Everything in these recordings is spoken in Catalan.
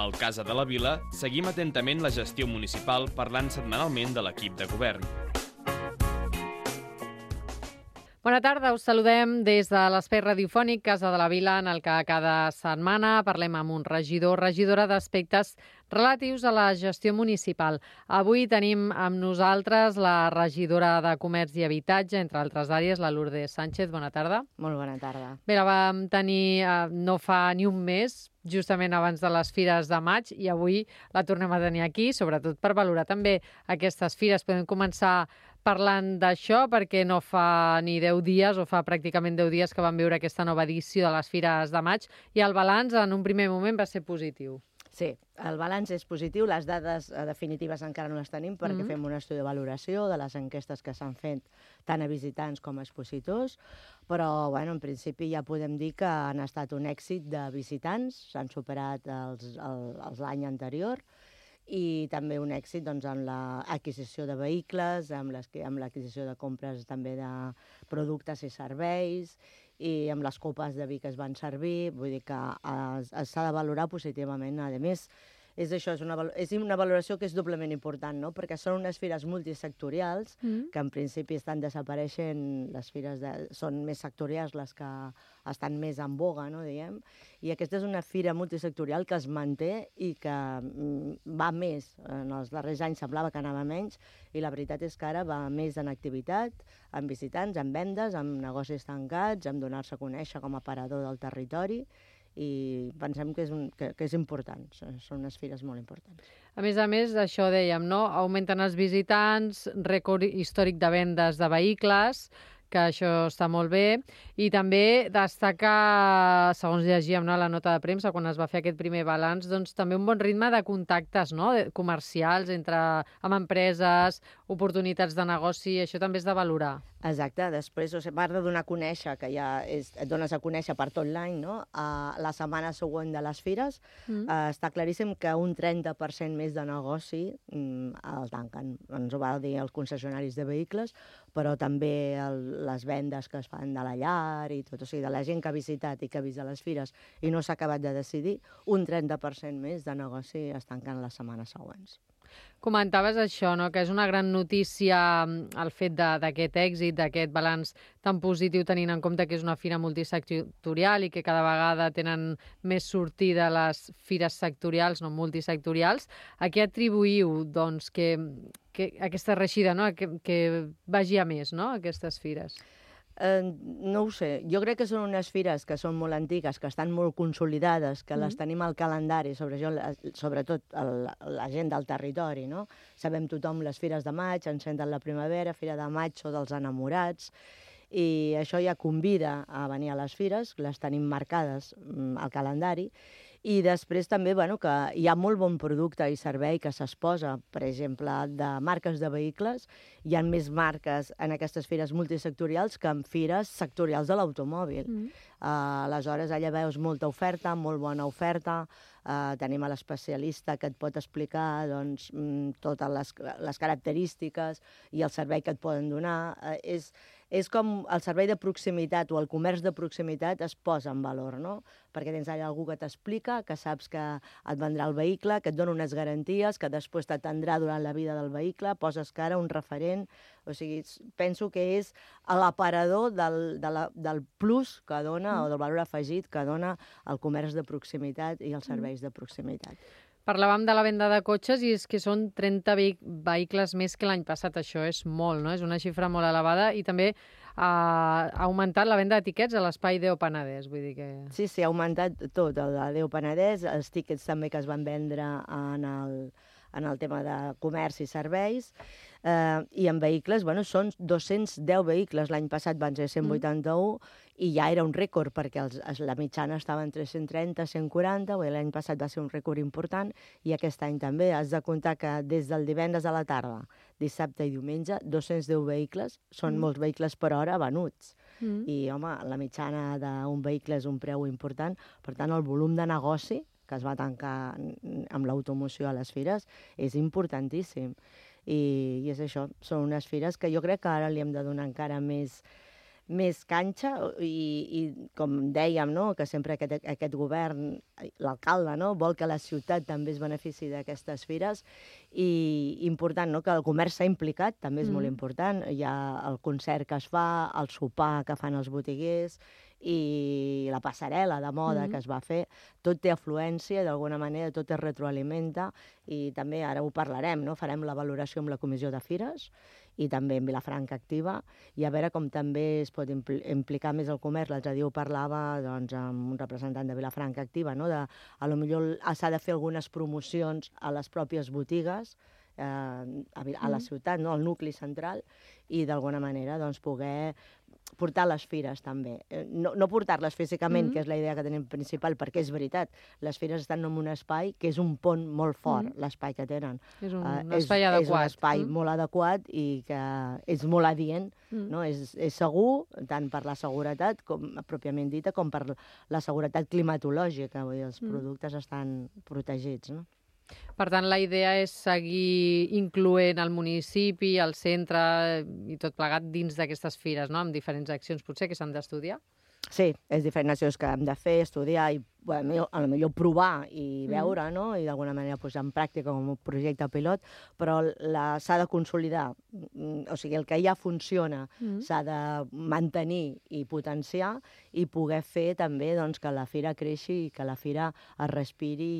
Al Casa de la Vila seguim atentament la gestió municipal parlant setmanalment de l'equip de govern. Bona tarda, us saludem des de l'espai radiofònic Casa de la Vila, en el que cada setmana parlem amb un regidor o regidora d'aspectes relatius a la gestió municipal. Avui tenim amb nosaltres la regidora de Comerç i Habitatge, entre altres àrees, la Lourdes Sánchez. Bona tarda. Molt bona tarda. Bé, la vam tenir no fa ni un mes, justament abans de les Fires de Maig, i avui la tornem a tenir aquí, sobretot per valorar també aquestes fires. Podem començar parlant d'això, perquè no fa ni 10 dies, o fa pràcticament 10 dies que vam viure aquesta nova edició de les Fires de Maig, i el balanç en un primer moment va ser positiu. Sí, el balanç és positiu, les dades definitives encara no les tenim perquè fem un estudi de valoració de les enquestes que s'han fet tant a visitants com a expositors, però bueno, en principi ja podem dir que han estat un èxit de visitants, s'han superat els l'any anterior, i també un èxit doncs, en l'adquisició de vehicles, amb l'adquisició de compres també de productes i serveis, i amb les copes de vi que es van servir, vull dir que s'ha de valorar positivament. A més, és una valoració que és doblement important, no? Perquè són unes fires multisectorials que en principi estan desapareixent, les fires són més sectorials les que estan més en boga, no, diguem, i aquesta és una fira multisectorial que es manté i que va més. En els darrers anys semblava que anava menys i la veritat és que ara va més en activitat, en visitants, en vendes, en negocis tancats, en donar-se a conèixer com a aparador del territori, i pensem que és important, són unes fires molt importants. A més, això dèiem, no? Augmenten els visitants, rècord històric de vendes de vehicles, que això està molt bé, i també destacar, segons llegíem, no, la nota de premsa, quan es va fer aquest primer balanç, doncs també un bon ritme de contactes, no, comercials amb empreses, oportunitats de negoci, això també és de valorar. Exacte, després, a part de donar a conèixer, que ja et dones a conèixer per tot l'any, no? La setmana següent de les fires, està claríssim que un 30% més de negoci el tanquen. Ens ho va dir els concessionaris de vehicles, però també les vendes que es fan de la llar i tot, o sigui, de la gent que ha visitat i que ha vist a les fires i no s'ha acabat de decidir, un 30% més de negoci es tanquen les setmanes següents. Comentaves això, no? Que és una gran notícia el fet d'aquest èxit, d'aquest balanç tan positiu, tenint en compte que és una fira multisectorial i que cada vegada tenen més sortida les fires sectorials, no multisectorials. A què atribuïu doncs, que aquesta reeixida, no? que vagi a més, no? Aquestes fires? No ho sé. Jo crec que són unes fires que són molt antigues, que estan molt consolidades, que les tenim al calendari, sobretot la gent del territori, no? Sabem tothom les fires de maig, encenten la primavera, Fira de Maig o dels enamorats, i això ja convida a venir a les fires, les tenim marcades al calendari, i després també que hi ha molt bon producte i servei que s'exposa, per exemple, de marques de vehicles. Hi ha més marques en aquestes fires multisectorials que en fires sectorials de l'automòbil. Aleshores, allà veus molta oferta, molt bona oferta, tenim a l'especialista que et pot explicar doncs, totes les característiques i el servei que et poden donar. És com el servei de proximitat o el comerç de proximitat es posa en valor, no? Perquè tens allà algú que t'explica, que saps que et vendrà el vehicle, que et dona unes garanties, que després t'atendrà durant la vida del vehicle, poses cara, un referent. O sigui, penso que és l'aparador del plus que dona, o del valor afegit que dona el comerç de proximitat i els serveis de proximitat. Parlàvem de la venda de cotxes i és que són 30 vehicles més que l'any passat. Això és molt, no? És una xifra molt elevada i també ha augmentat la venda d'etiquets a l'espai Deo Penedès. Vull dir que... Sí, ha augmentat tot, el de Deo Penedès, els tíquets també que es van vendre en el tema de comerç i serveis, i en vehicles, són 210 vehicles, l'any passat van ser 181, i ja era un rècord, perquè la mitjana estava entre 130 i 140, l'any passat va ser un rècord important, i aquest any també. Has de comptar que des del divendres a la tarda, dissabte i diumenge, 210 vehicles, són molts vehicles per hora venuts. I, home, la mitjana d'un vehicle és un preu important, per tant, el volum de negoci que es va tancar amb l'automoció a les fires és importantíssim. I és això, són unes fires que jo crec que ara li hem de donar encara més més canxa i com dèiem, no? Que sempre aquest govern, l'alcalde, no? Vol que la ciutat també es benefici d'aquestes fires i important, no? Que el comerç s'ha implicat, també és molt important. Hi ha el concert que es fa, el sopar que fan els botiguers i la passarel·la de moda que es va fer, tot té afluència, d'alguna manera tot es retroalimenta i també ara ho parlarem, no? Farem la valoració amb la Comissió de Fires i també en Vilafranca Activa i a veure com també es pot implicar més el comerç. L'altre dia ho parlava doncs, amb un representant de Vilafranca Activa, no? A lo millor s'ha de fer algunes promocions a les pròpies botigues a la ciutat, no? Al nucli central, i d'alguna manera doncs, poder portar les fires també. No portar-les físicament, que és la idea que tenim principal, perquè és veritat, les fires estan en un espai que és un pont molt fort, l'espai que tenen. És un espai adequat. És un espai molt adequat i que és molt adient, no? És segur, tant per la seguretat, com pròpiament dita, com per la seguretat climatològica, vull dir, els productes estan protegits, no? Per tant, la idea és seguir incloent el municipi, el centre i tot plegat dins d'aquestes fires, no? Amb diferents accions, potser, que s'han d'estudiar? Sí, és diferents accions que hem de fer, estudiar i a lo millor provar i veure, no? I d'alguna manera posar en pràctica com un projecte pilot, però s'ha de consolidar. O sigui, el que ja funciona s'ha de mantenir i potenciar i poder fer també doncs, que la fira creixi i que la fira es respiri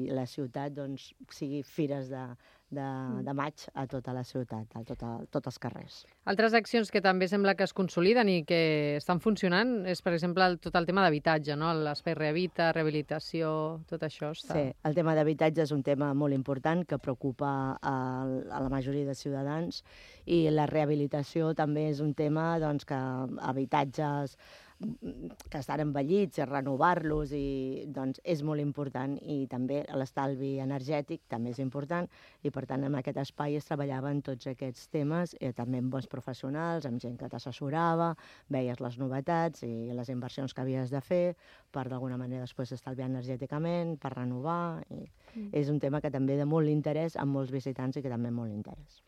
i la ciutat doncs, sigui fires de maig a tota la ciutat, a tots els carrers. Altres accions que també sembla que es consoliden i que estan funcionant és, per exemple, tot el tema d'habitatge, no? L'espai Rehabilita, rehabilitació, tot això està... Sí, el tema d'habitatge és un tema molt important que preocupa a la majoria de ciutadans i la rehabilitació també és un tema doncs, que habitatges que estan envellits, renovar-los i doncs és molt important i també l'estalvi energètic també és important i per tant en aquest espai es treballaven tots aquests temes també amb bons professionals, amb gent que t'assessorava, veies les novetats i les inversions que havies de fer per d'alguna manera després estalviar energèticament, per renovar i és un tema que també de molt interès amb molts visitants i que també molt interès.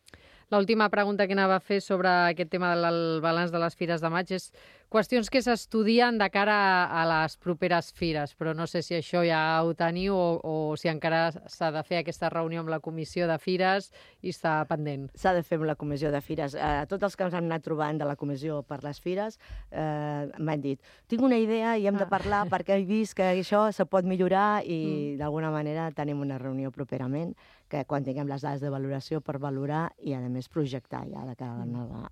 L'última pregunta que anava a fer sobre aquest tema del balanç de les fires de maig és qüestions que s'estudien de cara a les properes fires, però no sé si això ja ho teniu o si encara s'ha de fer aquesta reunió amb la comissió de fires i està pendent. S'ha de fer amb la comissió de fires. Tots els que ens han anat trobant de la comissió per les fires m'han dit, tinc una idea i hem de parlar perquè he vist que això se pot millorar i d'alguna manera tenim una reunió properament que quan tinguem les dades de valoració per valorar i a més projectar ja de cara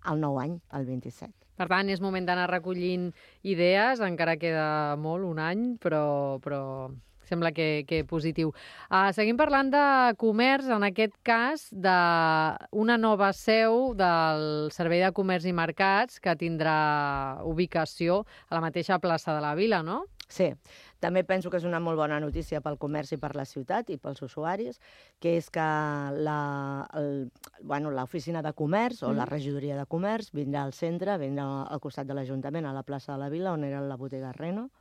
al nou any, al 27. Per tant, és moment d'anar recollint idees, encara queda molt, un any, però sembla que positiu. Seguim parlant de comerç, en aquest cas, d'una nova seu del Servei de Comerç i Mercats que tindrà ubicació a la mateixa plaça de la Vila, no? Sí, també penso que és una molt bona notícia pel comerç i per la ciutat i pels usuaris, que és que l'oficina de comerç o la regidoria de comerç vindrà al centre, vindrà al costat de l'Ajuntament, a la plaça de la Vila, on era la botiga Reno,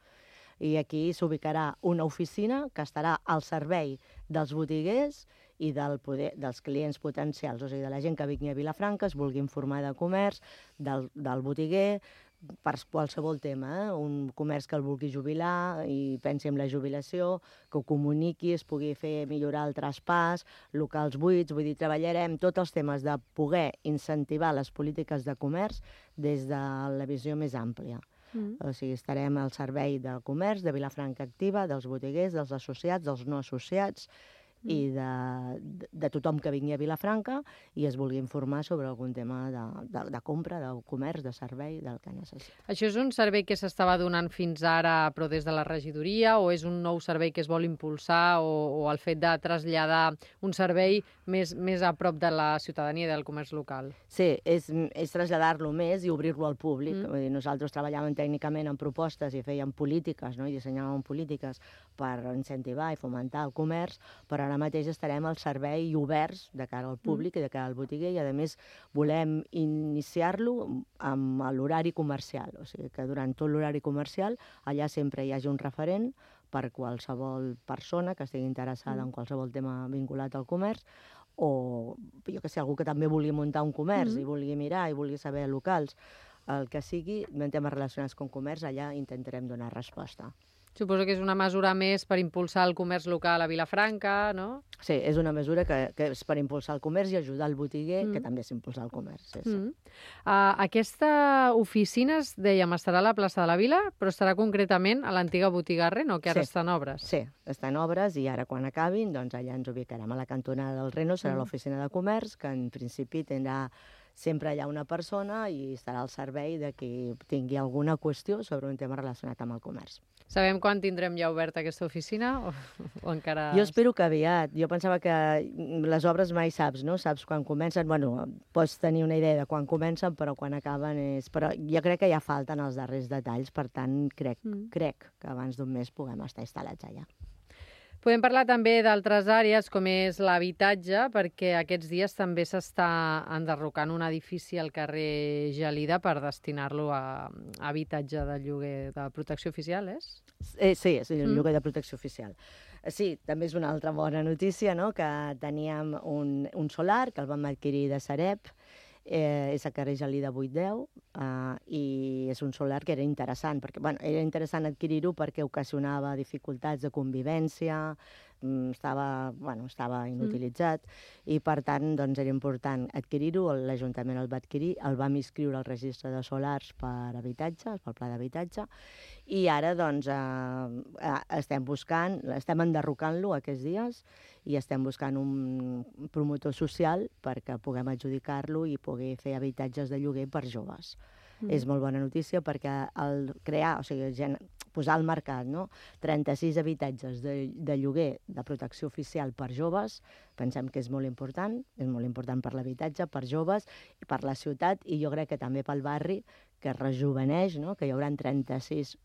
i aquí s'ubicarà una oficina que estarà al servei dels botiguers i dels clients potencials, o sigui, de la gent que vingui a Vilafranca, es vulgui informar de comerç, del botiguer, per qualsevol tema, un comerç que el vulgui jubilar i pensi en la jubilació, que ho comuniqui, es pugui fer millorar el traspàs, locals buits, vull dir, treballarem tots els temes de poder incentivar les polítiques de comerç des de la visió més àmplia. O sigui, estarem al servei del comerç, de Vilafranca Activa, dels botiguers, dels associats, dels no associats, i de tothom que vingui a Vilafranca i es vulgui informar sobre algun tema de compra, de comerç, de servei, del que necessita. Això és un servei que s'estava donant fins ara però des de la regidoria o és un nou servei que es vol impulsar o el fet de traslladar un servei més a prop de la ciutadania i del comerç local? Sí, és traslladar-lo més i obrir-lo al públic. Vull dir, nosaltres treballàvem tècnicament en propostes i fèiem polítiques, no? I dissenyàvem polítiques per incentivar i fomentar el comerç, però ara mateix estarem al servei i oberts de cara al públic i de cara al botiguer i, a més, volem iniciar-lo amb l'horari comercial. O sigui, que durant tot l'horari comercial allà sempre hi hagi un referent per qualsevol persona que estigui interessada en qualsevol tema vinculat al comerç o, jo que sé, algú que també vulgui muntar un comerç i vulgui mirar i vulgui saber locals. el que sigui, en temes relacionats amb comerç, allà intentarem donar resposta. Suposo que és una mesura més per impulsar el comerç local a Vilafranca, no? Sí, és una mesura que és per impulsar el comerç i ajudar el botiguer, que també és impulsar el comerç. Sí. Aquesta oficina, dèiem, estarà a la plaça de la Vila, però estarà concretament a l'antiga botiga Reno, que ara està en obres. Sí, està en obres i ara quan acabin, doncs allà ens ubicarem a la cantonada del Reno, serà l'oficina de comerç, que en principi tindrà sempre allà una persona i estarà al servei de qui tingui alguna qüestió sobre un tema relacionat amb el comerç. Sabem quan tindrem ja oberta aquesta oficina o encara... Jo espero que aviat. Jo pensava que les obres mai saps, no? Saps quan comencen. Bueno, pots tenir una idea de quan comencen, però quan acaben és... Però jo crec que ja falten els darrers detalls, per tant, crec que abans d'un mes puguem estar instal·lats allà. Podem parlar també d'altres àrees, com és l'habitatge, perquè aquests dies també s'està enderrocant un edifici al carrer Gelida per destinar-lo a habitatge de lloguer de protecció oficial, és? Sí, és el lloguer de protecció oficial. Sí, també és una altra bona notícia, no?, que teníem un solar que el vam adquirir de Sareb, és a carrer Gelida 810, i és un solar que era interessant, perquè era interessant adquirir-ho perquè ocasionava dificultats de convivència, estava inutilitzat, i per tant doncs, era important adquirir-ho, l'Ajuntament el va adquirir, el vam inscriure al registre de solars per habitatge, pel pla d'habitatge, i ara doncs, estem enderrocant-lo aquests dies, i estem buscant un promotor social perquè puguem adjudicar-lo i pugui fer habitatges de lloguer per joves. És molt bona notícia perquè posar al mercat 36 habitatges de lloguer de protecció oficial per joves, pensem que és molt important per l'habitatge, per joves, i per la ciutat, i jo crec que també pel barri, que es rejuveneix, que hi haurà 36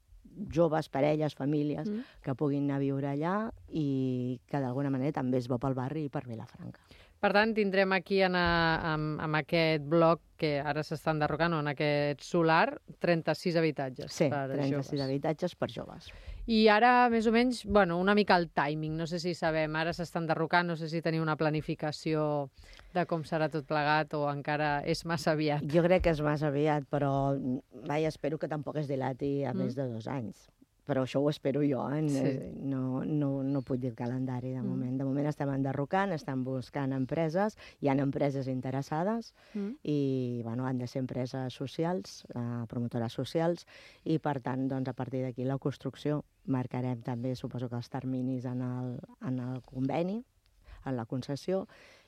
joves, parelles, famílies que puguin anar a viure allà i que d'alguna manera també és bo pel barri i per Vilafranca. Per tant, tindrem aquí en aquest bloc que ara s'està enderrocant, en aquest solar, 36 habitatges per joves. Sí, 36 habitatges per joves. I ara, més o menys, una mica el timing, no sé si sabem, ara s'està enderrocant, no sé si teniu una planificació de com serà tot plegat o encara és massa aviat. Jo crec que és massa aviat, però espero que tampoc es dilati a més de 2 anys. Però això ho espero jo, no puc dir el calendari de moment. De moment estem enderrocant, estem buscant empreses, hi ha empreses interessades i han de ser empreses socials, promotores socials, i per tant, a partir d'aquí la construcció marcarem també, suposo que els terminis en el conveni, en la concessió,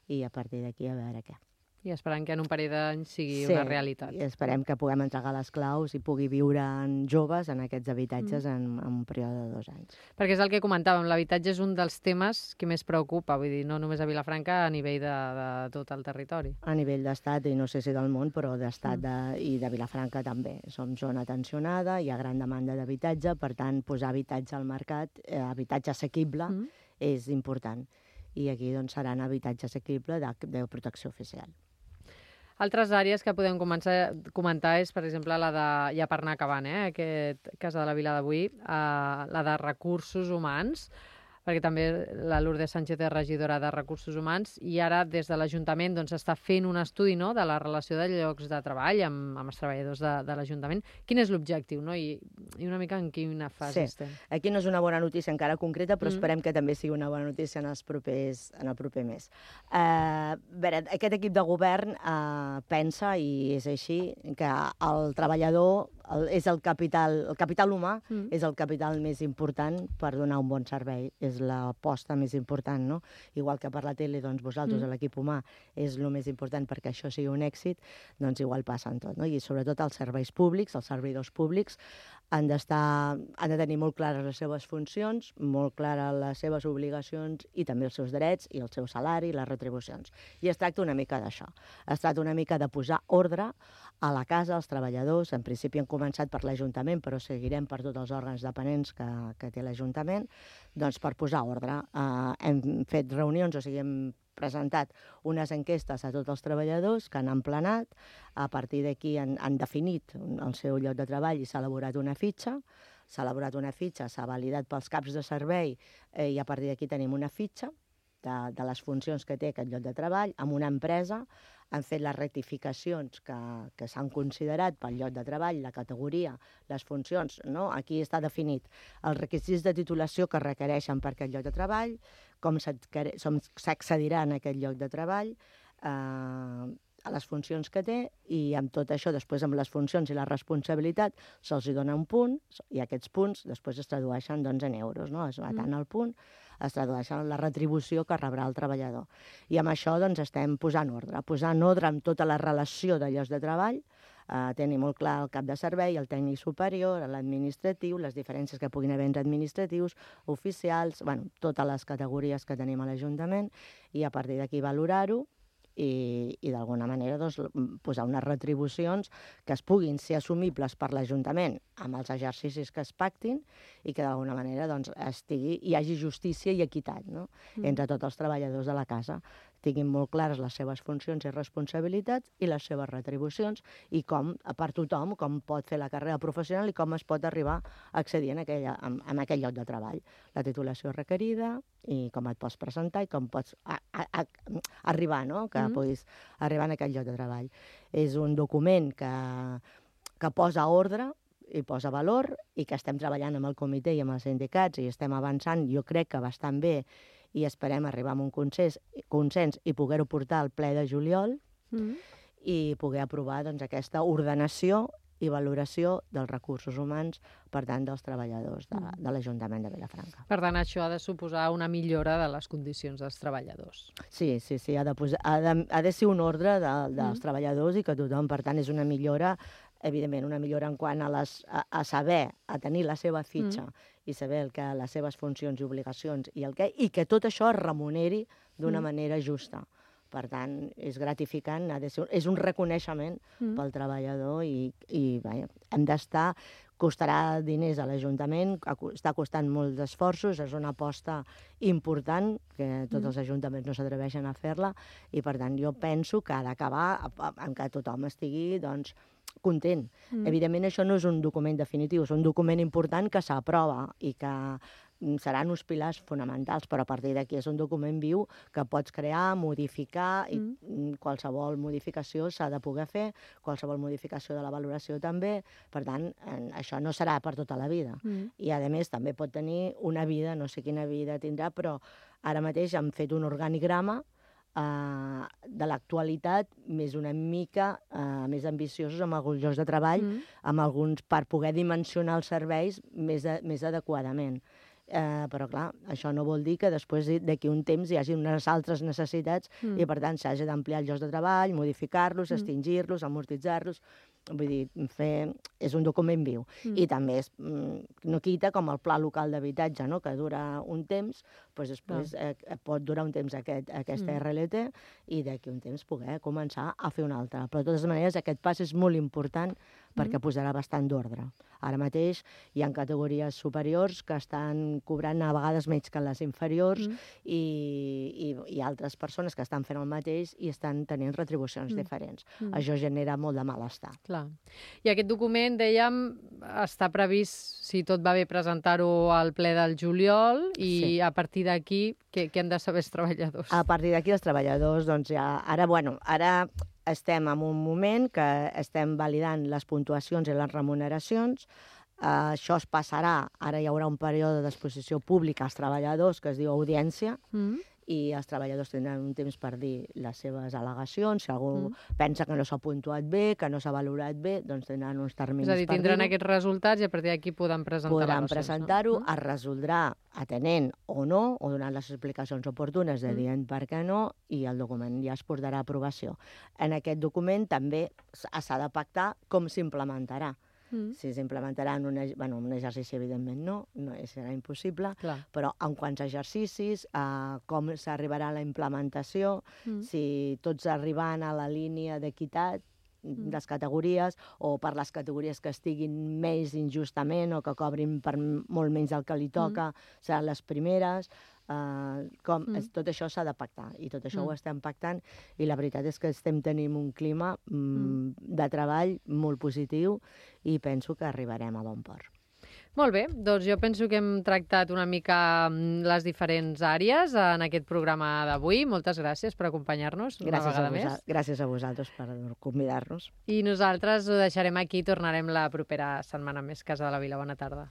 i a partir d'aquí a veure què. I esperant que en un parell d'anys sigui una realitat. Sí, i esperem que puguem entregar les claus i pugui viure joves en aquests habitatges en un període de 2 anys. Perquè és el que comentàvem, l'habitatge és un dels temes que més preocupa, vull dir, no només a Vilafranca, a nivell de tot el territori. A nivell d'estat, i no sé si del món, però d'estat i de Vilafranca també. Som zona tensionada, hi ha gran demanda d'habitatge, per tant, posar habitatge al mercat, habitatge assequible, és important. I aquí seran habitatge assequible de protecció oficial. Altres àrees que podem comentar és, per exemple, la de, ja per anar acabant, aquest cas de la Vila d'avui, la de recursos humans, perquè també la Lourdes Sánchez és regidora de Recursos Humans, i ara des de l'Ajuntament s'està fent un estudi de la relació de llocs de treball amb els treballadors de l'Ajuntament. Quin és l'objectiu i una mica en quina fase estem? Aquí no és una bona notícia encara concreta, però esperem que també sigui una bona notícia en el proper mes. Aquest equip de govern pensa, i és així, que el treballador és el capital humà, és el capital més important per donar un bon servei, és l'aposta més important, no? Igual que per la tele, vosaltres, l'equip humà, és el més important perquè això sigui un èxit, igual passa en tot, no? I sobretot els serveis públics, els servidors públics, han de tenir molt clares les seves funcions, molt clares les seves obligacions i també els seus drets i el seu salari i les retribucions. I es tracta una mica d'això. Es tracta una mica de posar ordre a la casa, als treballadors. En principi hem començat per l'Ajuntament, però seguirem per tots els òrgans dependents que té l'Ajuntament, per posar ordre. Hem fet reunions, hem presentat unes enquestes a tots els treballadors que han emplenat, a partir d'aquí han definit el seu lloc de treball i s'ha elaborat una fitxa, s'ha validat pels caps de servei i a partir d'aquí tenim una fitxa de les funcions que té aquest lloc de treball amb una empresa, han fet les rectificacions que s'han considerat pel lloc de treball, la categoria, les funcions, no? Aquí està definit els requisits de titulació que requereixen per aquest lloc de treball, com s'accedirà en aquest lloc de treball, a les funcions que té, i amb tot això, després amb les funcions i la responsabilitat, se'ls dona un punt, i aquests punts després es tradueixen doncs, en euros, no? Es va tant el punt, es tradueixen en la retribució que rebrà el treballador. I amb això doncs, estem posant ordre amb tota la relació de llocs de treball, tenir molt clar el cap de servei, el tècnic superior, l'administratiu, les diferències que puguin haver entre administratius, oficials, bueno, totes les categories que tenim a l'Ajuntament, i a partir d'aquí valorar-ho, i d'alguna manera doncs, posar unes retribucions que es puguin ser assumibles per l'Ajuntament amb els exercicis que es pactin i que d'alguna manera doncs, hi hagi justícia i equitat, no? Entre tots els treballadors de la casa. Tinguin molt clares les seves funcions i responsabilitats i les seves retribucions i com, per tothom, com pot fer la carrera professional i com es pot arribar a accedir en aquell lloc de treball. La titulació requerida i com et pots presentar i com pots arribar, no? Que puguis arribar en aquell lloc de treball. És un document que posa ordre i posa valor i que estem treballant amb el comitè i amb els sindicats i estem avançant, jo crec que bastant bé, i esperem arribar a un consens i poder-ho portar al ple de juliol i poder aprovar doncs, aquesta ordenació i valoració dels recursos humans, per tant, dels treballadors de l'Ajuntament de Vilafranca. Per tant, això ha de suposar una millora de les condicions dels treballadors. Sí, ha de ser un ordre dels treballadors i que tothom, per tant, és una millora, evidentment, una millora en quant a saber, a tenir la seva fitxa i saber les seves funcions i obligacions i que tot això es remuneri d'una manera justa. Per tant, és gratificant, és un reconeixement pel treballador i hem d'estar, costarà diners a l'Ajuntament, està costant molts esforços, és una aposta important, que tots els ajuntaments no s'atreveixen a fer-la, i per tant jo penso que ha d'acabar en que tothom estigui doncs, content. Evidentment això no és un document definitiu, és un document important que s'aprova i que seran uns pilars fonamentals, però a partir d'aquí és un document viu que pots crear, modificar, i qualsevol modificació s'ha de poder fer, qualsevol modificació de la valoració també, per tant, això no serà per tota la vida. I, a més, també pot tenir una vida, no sé quina vida tindrà, però ara mateix hem fet un organigrama de l'actualitat més una mica més ambiciosos amb alguns llocs de treball, amb alguns per poder dimensionar els serveis més adequadament. Però, clar, això no vol dir que després d'aquí un temps hi hagi unes altres necessitats i, per tant, s'hagi d'ampliar els llocs de treball, modificar-los, extingir-los, amortitzar-los. Vull dir, és un document viu. I també no quita com el pla local d'habitatge, que dura un temps, doncs després pot durar un temps aquesta RLT i d'aquí un temps poder començar a fer una altra. Però, de totes maneres, aquest pas és molt important perquè posarà bastant d'ordre. Ara mateix hi ha categories superiors que estan cobrant a vegades menys que les inferiors i altres persones que estan fent el mateix i estan tenint retribucions diferents. Això genera molt de malestar. Clar. I aquest document, dèiem, està previst, si tot va bé, presentar-ho al ple del juliol i a partir d'aquí, què han de saber els treballadors? A partir d'aquí els treballadors, doncs ja... Ara estem en un moment que estem validant les puntuacions i les remuneracions. Això es passarà, ara hi haurà un període d'exposició pública als treballadors que es diu audiència, i els treballadors tindran un temps per dir les seves al·legacions. Si algú pensa que no s'ha puntuat bé, que no s'ha valorat bé, doncs tindran uns terminis per dir-ho. És a dir, tindran aquests resultats i a partir d'aquí podran presentar Podran presentar-ho, es resoldrà atenent o no, o donant les explicacions oportunes de dient per què no, i el document ja es portarà a aprovació. En aquest document també s'ha de pactar com s'implementarà. Si s'implementarà en un exercici, evidentment no serà impossible, però en quants exercicis, com s'arribarà a la implementació, si tots arribant a la línia d'equitat, les categories, o per les categories que estiguin més injustament o que cobrin per molt menys del que li toca, seran les primeres. Tot això s'ha de pactar i tot això ho estem pactant i la veritat és que estem tenint un clima de treball molt positiu i penso que arribarem a bon port. Molt bé, doncs jo penso que hem tractat una mica les diferents àrees en aquest programa d'avui. Moltes gràcies per acompanyar-nos una vegada més. Gràcies a vosaltres per convidar-nos. I nosaltres ho deixarem aquí i tornarem la propera setmana més. Casa de la Vila. Bona tarda.